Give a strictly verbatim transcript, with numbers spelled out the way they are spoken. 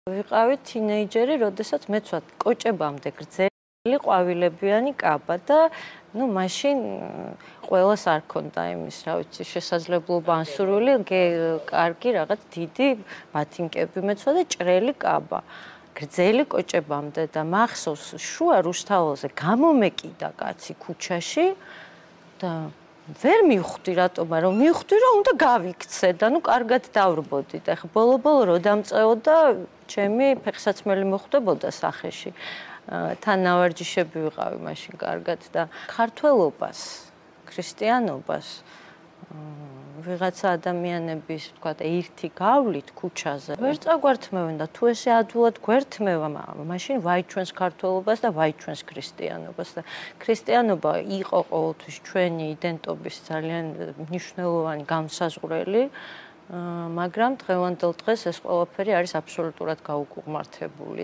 ვიყავი თინეიჯერი, როდესაც მეც ვარ კოჭებამდე გრძელი ყვავილებიანი კაბა და ну მაშინ ყველას არ ქონდა იმის, რა ვიცი, შესაძლებლობა ან სურვილი კარგი რაღაც დიდი ბათინკები მეცვა და ჭრელი კაბა. გრძელი კოჭებამდე და მახსოვს შუა რუსთაველზე გამომეკიდა კაცი ქუჩაში და ვერ მივხვდი რატომა რომ მივხვდი რომ უნდა გავიქცე და ნუ კარგად დავრბოდი და ხა ბოლო-ბოლო რო დამწეოდა ჩემი ფეხსაცმელი მოხვდებოდა სახეში თან ნავარჯიშები ვიყავი მაშინ კარგად და ქართველობას ქრისტიანობას ვიღაცა ადამიანების თქვა ერთი გავლით ქუჩაზე ვერ წაგვართმევენ და თუ ესე ადვილად გვერთმევა მაშინ ვაიჩვენს ქართველობას და ვაიჩვენს ქრისტიანობას და ქრისტიანობა იყო ყოველთვის ჩვენი იდენტობის ძალიან მნიშვნელოვანი განსაზღვრელი მაგრამ დღევანდელ დღეს ეს ყველაფერი არის აბსოლუტურად გაუკუღმართებული